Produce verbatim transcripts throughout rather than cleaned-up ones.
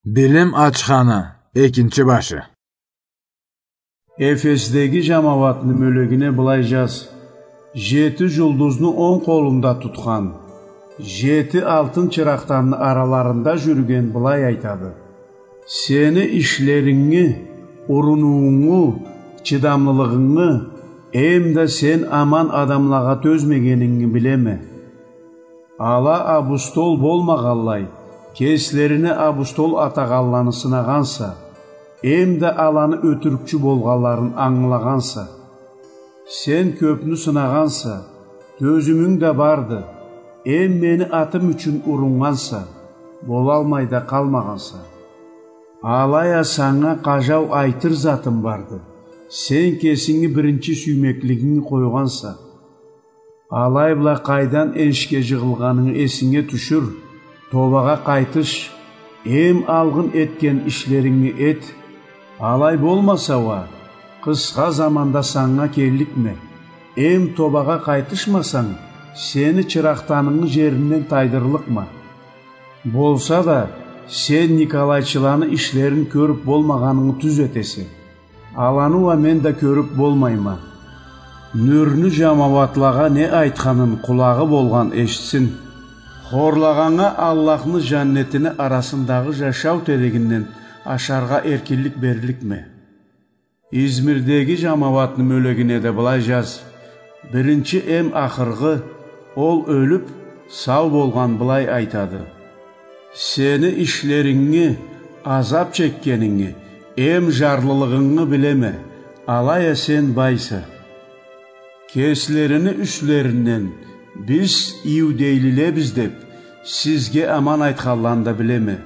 Билим ачханы экинчи башы. Эфесдеги жамауатны мёлегине былай жаз: «Жети жулдузну онг къолунда тутхан, жети алтын чыракъданны араларында жюрюген былай айтады: Сени ишлерингни, урунуунгу, чыдамлылыгъынгы, эм да сен аман адамлагъа тёзмегенингни билеме. Ала абустол болмагъанлай, кеслерине абустол атагъанланы сынагъанса, эм да аланы ётюрюкчю болгъанларын ангылагъанса. Сен кёпню сынагъанса, тёзюмюнг да барды, эм мени атым ючюн уруннганса, болалмай да къалмагъанса. Алай а санга къажау айтыр затым барды: сен кесинги биринчи сюймеклигинги къойгъанса. Алай бла къайдан энишге жыгъылгъанынгы эсинге тюшюр, тобагъа къайтыш, эм алгъын этген ишлерингни эт. Алай болмаса уа, къысха заманда санга келликме, эм тобагъа къайтышмасанг, сени чыракъданынгы жеринден тайдырлыкъма. Болса да, сен николайчыланы ишлерин кёрюп болмагъанынгы тюз этесе. Аланы уа мен да кёрюп болмайма. Нюрню жамауатлагъа не айтханын къулагъы болгъан эшитсин. Хорлагъаннга Аллахны жаннетини арасындагъы жашау терегинден ашаргъа эркинлик берликме». Измирдеги жамауатны мёлегине да былай жаз: «Биринчи эм ахыргъы, ол ёлюп, сау болгъан былай айтады: Сени ишлерингни, азап чеккенингни, эм жарлылыгъынгы билеме, алай а сен байса. Кеслерини юслеринден: „Биз иудейлилебиз“, деп, сизге аман айтханланы да билеме.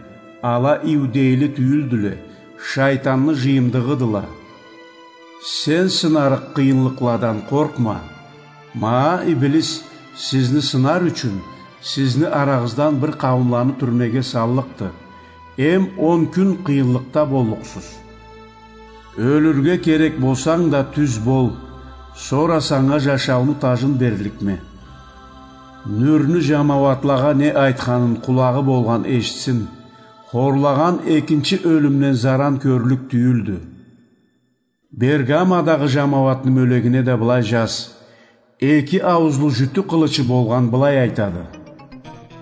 Ала иудейли тюйюлдюле, шайтанны жыйымдыгъыдыла. Сен сынарыкъ къыйынлыкъладан къоркъма. Ма, Иблис сизни сынар ючюн, сизни арагъыздан бир къауумланы тюрмеге саллыкъды. Эм он кюн къыйынлыкъда боллукъсуз. Ёлюрге керек болсанг да тюз бол, сора санга жашауну тажын берликме». Нюрню жамауатлагъа не айтханын къулагъы болгъан эшитсин. Хорлагъан экинчи ёлюмден заран кёрлюк тюйюлдю. Бергамадагъы жамауатны мёлегине да былай жаз: «Эки ауузлу жютю къылычы болгъан былай айтады: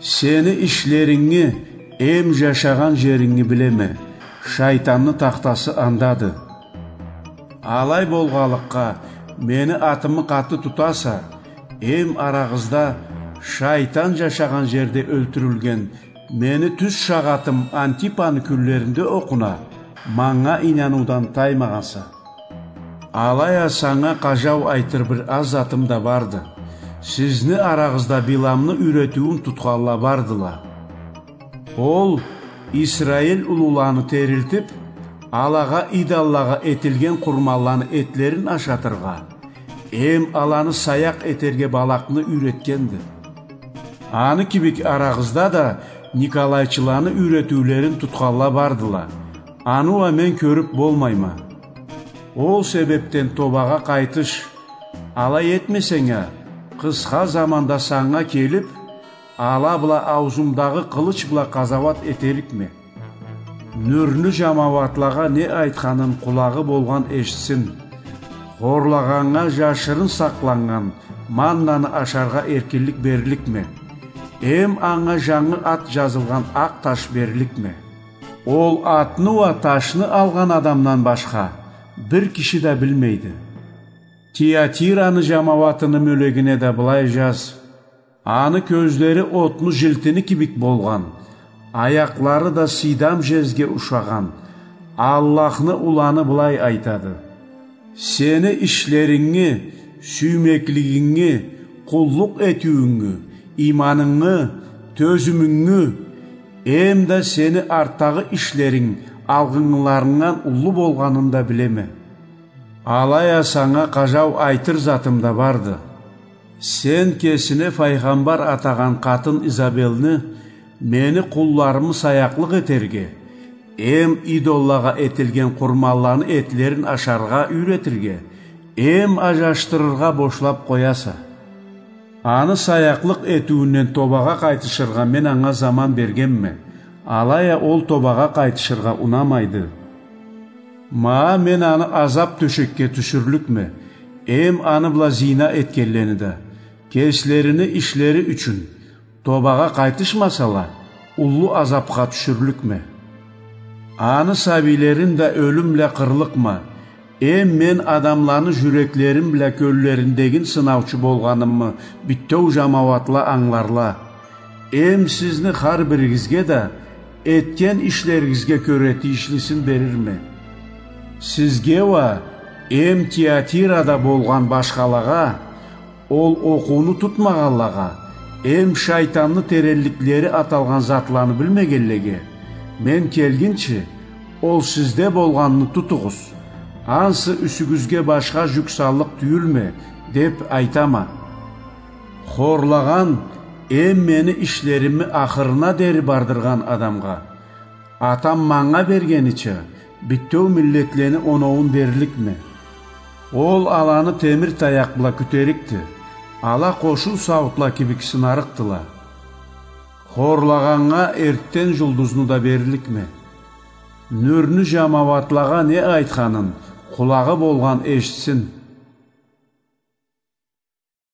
Сени ишлерингни, эм жашагъан жерингни билеме, шайтанны тахтасы андады. Алай болгъанлыкъгъа, мени атымы къаты тутаса, эм арагъызда шайтан жашагъан жерде ёлтюрюлген мени тюз шагъатым Антипаны кюнлеринде окъуна, манга ийнануудан таймагъанса. Алай а санга къажау айтыр бир аз затым да барды. Сизни арагъызда Биламны юйретиуюн тутханла бардыла. Ол Исраил улуланы терилтип, алагъа идоллагъа этилген къурманланы этлерин ашатыргъа, эм аланы саякъ этерге Балакъны юйретгенди. Аны кибик арагъызда да николайчыланы юйретиулерин тутханла бардыла. Аны уа мен кёрюп болмайма. Ол себепден тобагъа къайтыш. Алай этмесенг а, къысха заманда санга келип, ала бла ауузумдагъы къылыч бла къазауат этерикме. Нюрню жамауатлагъа не айтханын къулагъы болгъан эшитсин. Хорлагъаннга жашырын сакъланнган маннаны ашаргъа эркинлик берликме. Эм анга жангы ат жазылгъан акъ таш берликме. Ол атны уа ташны алгъан адамдан башха бир киши да билмейди. Тиатираны жамауатыны мёлегине да былай жаз: «Аны кёзлери отну жилтини кибик болгъан, аякълары да сыйдам жезге ушагъан Аллахны уланы былай айтады: Сени ишлерингни, сюймеклигингни, къуллукъ этиуюнгю, ийманынгы, тёзюмюнгю, эм да сени артдагъы ишлеринг алгъынгыларынгдан уллу болгъанын да билеме. Алай а санга къажау айтыр затым да барды. Сен кесине файгъамбар атагъан къатын Изабелни мени къулларымы саякълыкъ этерге, эм идоллагъа этилген къурманланы этлерин ашаргъа юйретирге, эм ажашдырыргъа бошлап къояса. Аны саякълыкъ этиуюнден тобагъа къайтышыргъа мен анга заман бергенме. Алай а ол тобагъа къайтышыргъа унамайды. Ма мен аны азаб тёшекге тюшюрлюкме, эм аны бла зина этгенлени да, кеслерини ишлери ючюн тобагъа къайтышмасала, уллу азабха тюшюрлюкме. Аны сабийлерин да ёлюм бла къырлыкъма, эм мен адамланы жюреклерин бла кёллериндегин сынаучу болгъанымы битеу жамауатла ангыларла. Эм сизни хар биригизге да этген ишлеригизге кёре тийишлисин берирме. Сизге уа, эм Тиатирада болгъан башхалагъа, ол окъууну тутмагъанлагъа, эм шайтанны теренликлери аталгъан затланы билмегенлеге, мен келгинчи, ол сизде болгъанны тутугъуз, ансы юсюгюзге башха жюк саллыкъ тюйюлме, деб айтама. Хорлагъан эм мени ишлерими ахырына дери бардыргъан адамгъа, Атам манга бергенича, битеу миллетлени оноуун берликме. Ол аланы темир таякъ бла кютерикди, ала къошуу сауутла кибик сынарыкъдыла. Хорлагъаннга эртден жулдузну да берликме. Нюрню жамауатлагъа не айтханын къулагъы болгъан эшитсин.